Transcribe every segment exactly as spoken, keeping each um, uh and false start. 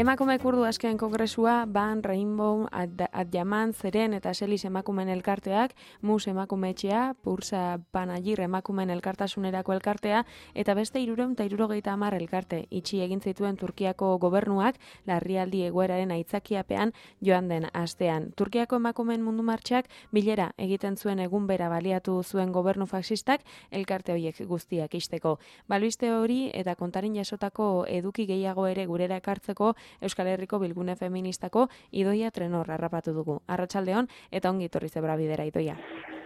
Emakume kurdu asken kongresua, Ban, Rainbow, Adjaman, Zeren eta Selis emakumeen elkarteak, Mus emakume etxea, Pursa Panagir emakumeen elkartasunerako elkartea, eta beste hirurehun eta hirurogeita hamar elkarte itxi egin zituen Turkiako gobernuak larrialdi egoeraren aitzakiapean joan den astean. Turkiako emakumeen mundu martxak bilera egiten zuen egun bera baliatu zuen gobernu faxistak elkarte horiek guztiak ixteko. Balbiste hori eta kontarin jasotako eduki gehiago ere gurera ekartzeko Euskal Herriko Bilgune Feministako Idoia Trenor harrapatu dugu. Arratsaldeon eta ongi etorri zebra bidera, Idoia.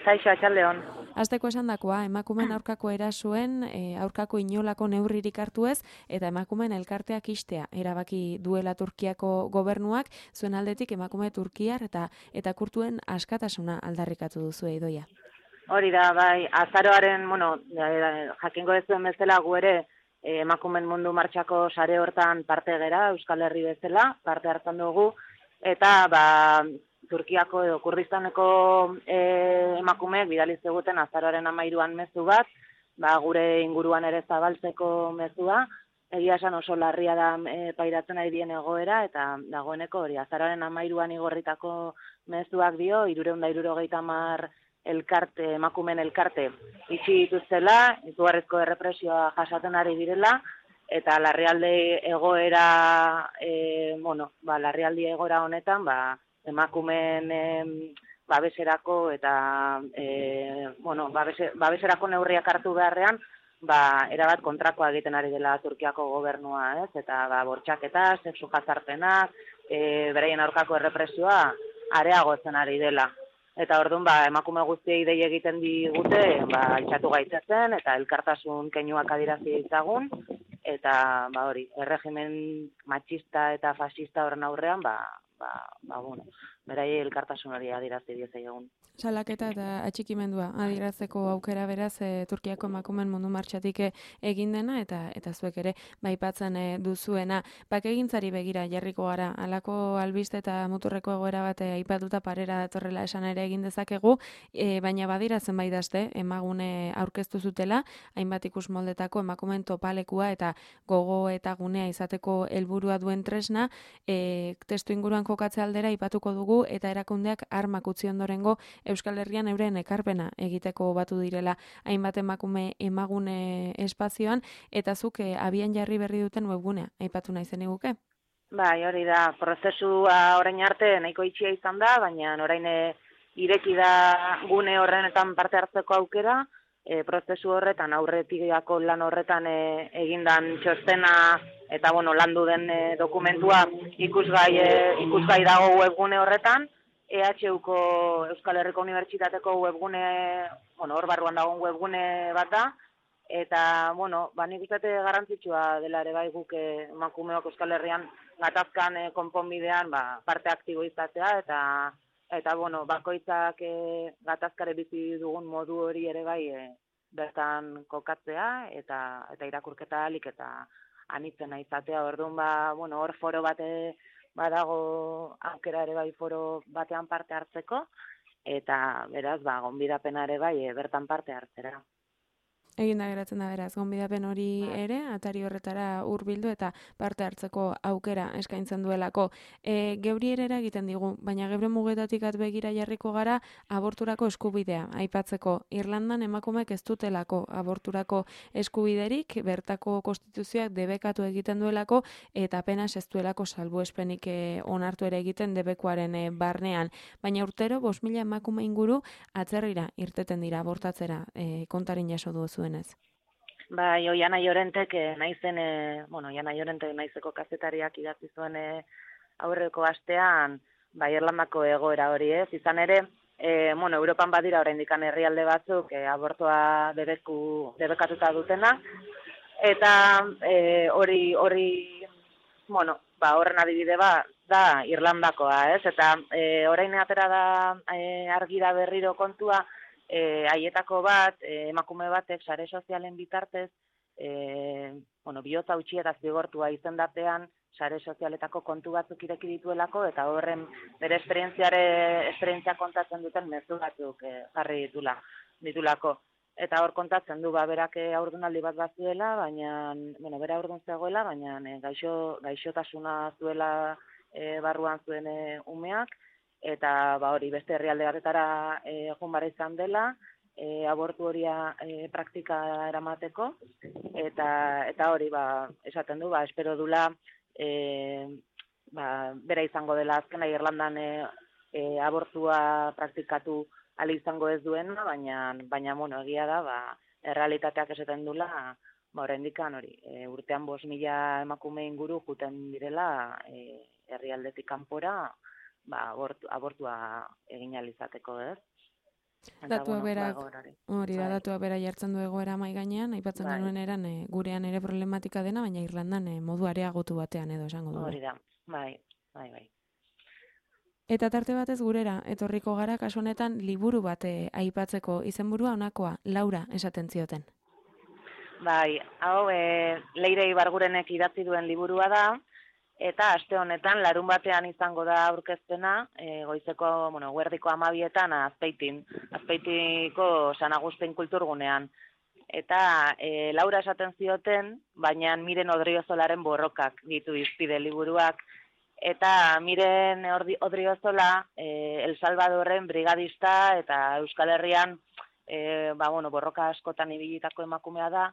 Kaixo, arratsaldeon. Hasteko esandakoa, emakumeen aurkako erasuen, e, aurkako inolako neurririk hartu ez, eta emakumeen elkarteak ixtea erabaki duela Turkiako gobernuak, zuen aldetik emakume turkiar eta eta kurtuen askatasuna aldarrikatu duzu, Idoia. Hori da, bai, azaroaren, bueno, jakingo ez duen bezala gu ere, emakumen mundu martxako sare hortan parte gera, Euskal Herri bezala, parte hartzen dugu, eta ba, Turkiako edo Kurdistaneko e, emakumeek bidaliz eguten azaroaren hamairuan mezu bat, ba, gure inguruan ere zabaltzeko mezua, egia esan oso larria da e, pairatzen ari dien egoera, eta dagoeneko hori azaroaren hamairuan igorritako mezuak dio, hirurehun eta hirurogeita hamar elkarte, emakumeen elkarte itxi dituztela, izugarrizko errepresioa jasaten ari direla, eta larrialdi egoera, e, bueno, ba, larrialdi egoera honetan, ba, emakumeen e, babeserako eta, e, bueno, babese, babeserako neurriak hartu beharrean, ba, erabat kontrakoa egiten ari dela Turkiako gobernua, ez? Eta ba, bortxaketa, sexu jazarpenak, e, beraien aurkako errepresioa areagotzen ari dela. Eta orduan, ba, emakume guztiei dei egiten digute, ba, altxatu gaitzezen, eta elkartasun keinuak adirazi ditzagun, eta, ba, hori, erregimen matxista eta fascista horren aurrean, ba, ba, ba, bueno, berai elkartasun hori adirazi diezaiogun. Salaketa eta atxikimendua adierazteko aukera beraz e, Turkiako emakumeen mundu martxatik egin dena eta eta zuek ere baipatzen e, duzuena. Bakegintzari begira jarriko gara, halako albiste eta muturreko egoera bat aipatuta parera datorrela esan ere egin dezakegu, e, baina badira zenbait aste emagune aurkeztu zutela, hainbat ikus moldetako emakumeen topalekua eta gogo eta gunea izateko helburua duen tresna, e, testu inguruan kokatze aldera aipatuko dugu eta erakundeak armak utzi ondorengo Euskal Herrian euren ekarpena egiteko batu direla hainbat emakume emagune espazioan, eta zuk e, abian jarri berri duten webgunea aipatu nahi zeniguke? Bai, hori da, prozesua orain arte nahiko itxia izan da, baina orain ireki da gune horrenetan parte hartzeko aukera, e, prozesu horretan aurretikako lan horretan e, egindan txostena eta bueno, landu den e, dokumentua ikusgai, e, ikusgai dago webgune horretan, E H Uko Euskal Herriko Unibertsitateko webgune, bueno, hor barruan dagoen webgune bat da, eta, bueno, ba, nik uste garrantzitsua dela ere bai guk emakumeok Euskal Herrian gatazkan e, konponbidean ba, parte aktibo izatea, eta, eta bueno, bakoitzak e, gatazkare bizi dugun modu hori ere bai e, bertan kokatzea, eta, eta irakurketa alik eta anitzena izatea, orduan, ba, bueno, hor foro bate badago aukera ere bai foro batean parte hartzeko, eta beraz, ba, gonbidapena ere bai bertan parte hartzera. Egin da geratzen da beraz, gonbidapen hori ere, atari horretara hurbildu eta parte hartzeko aukera eskaintzen duelako. E, geuri erera egiten digu, baina geure mugetatik atbegira jarriko gara aborturako eskubidea. Aipatzeko, Irlandan emakumeek ez dutelako aborturako eskubiderik, bertako konstituzioak debekatu egiten duelako, eta apenas ez duelako salbuespenik e, onartu ere egiten debekuaren e, barnean. Baina urtero, bost mila emakume inguru atzerrira irteten dira abortatzera, e, kontarin jaso duzu. Bai, Oiana Llorentek, naizen, e, bueno, Oiana Llorentek naizeko kazetariak idatzi zuen e, aurreko astean, bai, Irlandako egoera hori ez, izan ere, e, bueno, Europan badira oraindik herrialde batzuk e, abortoa debeku, debekatuta dutena, eta e, hori, hori, bueno, ba, horren adibide ba, da Irlandakoa, ez, eta e, orain atera da e, argi da berriro kontua, E, haietako bat, e, emakume batek sare sozialen bitartez, e, bueno, bihotza utzi eta zigortua izendapean sare sozialetako kontu batzuk ireki dituelako, eta horren bere esperientziare esperientzia kontatzen duten mezu batzuk e, jarri ditula, ditulako. eta hor kontatzen du, ba, berak haurdunaldi bat bat zuela, baina, bueno, bera haurdun zegoela, baina e, gaixo, gaixotasuna zuela e, barruan zuen e, umeak, eta ba, hori beste herrialde batetara e, joan bara izan dela, e, abortu horia e, praktika eramateko, eta, eta hori ba, esaten du, ba, espero dula, e, ba, bera izango dela azkena Irlandan e, e, abortua praktikatu ali izango ez duena, baina, baina bueno, egia da, ba, errealitateak esaten dula, ba, oraindikan hori, e, urtean bost mila emakume inguru juten direla e, herrialdetik kanpora, ba, abortu, abortua egin alizateko, ez? Datua bueno, berak, ba, hori da, bai. datua bera jartzen du egoera mai gainean, aipatzen Bai. genuen eran, e, gurean ere problematika dena, baina Irlandan e, modu areagotu batean edo esango dugu. Hori da, bai, bai, bai. Eta tarte batez gurera, etorriko gara kasu honetan liburu bat e, aipatzeko izenburua honakoa, Laura esaten zioten. Bai, hau, e, Leire Ibargurenek idatzi duen liburua da, eta aste honetan larun batean izango da aurkezpena, e, goizeko, bueno, guerdiko amabietan Azpeitin, Azpeitiko San Agustin kulturgunean. Eta e, Laura esaten zioten, baina Miren Odriozolaren borrokak ditu izpide liburuak, eta Miren Odriozola e, El Salvadorren brigadista eta Euskal Herrian e, ba, bueno, borroka askotan ibilitako emakumea da,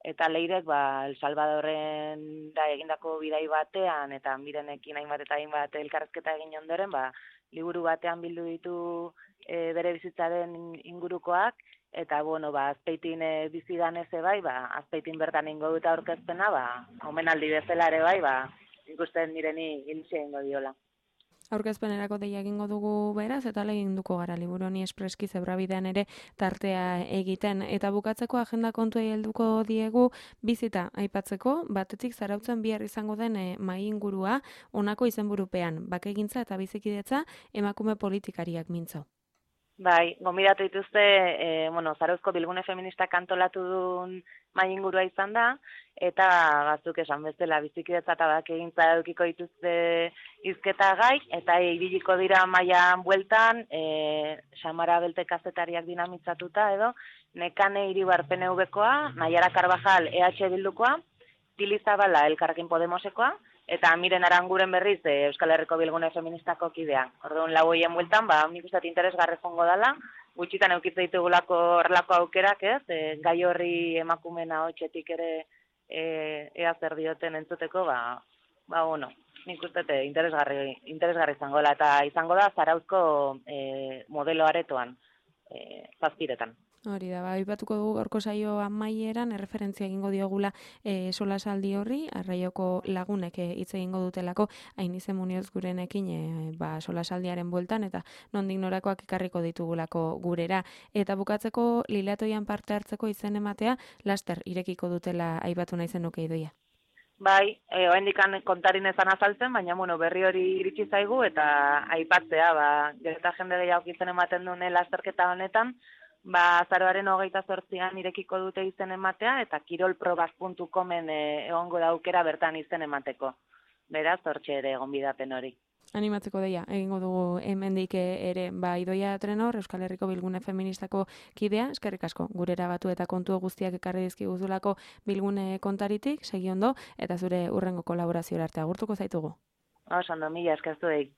eta Leirek ba, El Salvadorren da egindako bidai batean, eta Mirenekin hainbat eta hainbat elkarrezketa egin ondoren, ba, liburu batean bildu ditu e, bere bizitzaren ingurukoak, eta bueno, ba, Azpeitin e, bizidan eze bai, ba, Azpeitin bertan ingo dut aurkezpena, ba, omenaldi bezala ere bai, ba, ikusten Mireni giltxe ingo diola. Aurkezpenerako deia egingo dugu beraz, eta leginduko gara liburu honi espreski zebrabidean ere tartea egiten. Eta bukatzeko agenda kontuei helduko diegu bizita aipatzeko, batetik zarautzen bihar izango den e, mai ingurua honako izenburupean, bakegintza eta bizikidetza emakume politikariak mintzo. Bai, gonbidatu dituzte, e, bueno, Zarauzko Bilgune Feministak antolatu duen mai ingurua izan da, eta batzuk esan bezala bizikidetza eta bakegintza edukiko dituzte hizketa gai, eta ibiliko dira maian bueltan, e, Xamara Belte kazetariak dinamitzatuta edo, Nekane Iribar P N V-koa, Naiara Karbajal E H Bildukoa, Tili Zabala Elkarrekin Podemosekoa, eta Miren Aranguren berriz e, Euskal Herriko Bilgune Feministako kidea. Orduan lau hoien bueltan, ba, nik uste interesgarri jongo dela, gutxitan eukitze ditugulako horrelako aukerak, ez? E, gai horri emakumena hotxetik ere e, ea zer dioten entzuteko, ba, ba bueno, nik uste interesgarri, interesgarri izango dela, eta izango da Zarauzko e, modelo aretoan, e, zazpiretan. Hori da, ba, aipatuko dugu gaurko saio amaieran erreferentzia egingo diogula e, solasaldi horri, Arraioko lagunek hitz egingo dutelako Ainize Munioz gurenekin e, ba, solasaldiaren bueltan eta nondik norakoak ekarriko ditugulako gurera. Eta bukatzeko Lilatoian parte hartzeko izen ematea laster irekiko dutela aipatu nahi zenuke Idoia. Bai, e, oendikan kontarin ezan azaltzen, baina bueno, berri hori iritsi zaigu eta aipatzea, ba, gero eta jende gehiago izen ematen dune lasterketa honetan, ba, azaroaren hogeita zortzian irekiko dute izen ematea, eta kirolprobak puntu comen e, egongo da aukera bertan izen emateko. Beraz, hortxe ere gonbidapen hori. Animatzeko deia, egingo dugu hemendik ere, ba, Idoia Trenor, Euskal Herriko Bilgune Feministako kidea, eskerrik asko, gurera batu eta kontu guztiak ekarri dizkiguzulako Bilgune kontaritik, segi ondo, eta zure urrengo kolaborazio arte agurtuko zaitugu. Oso ondo, mila eskertu egin.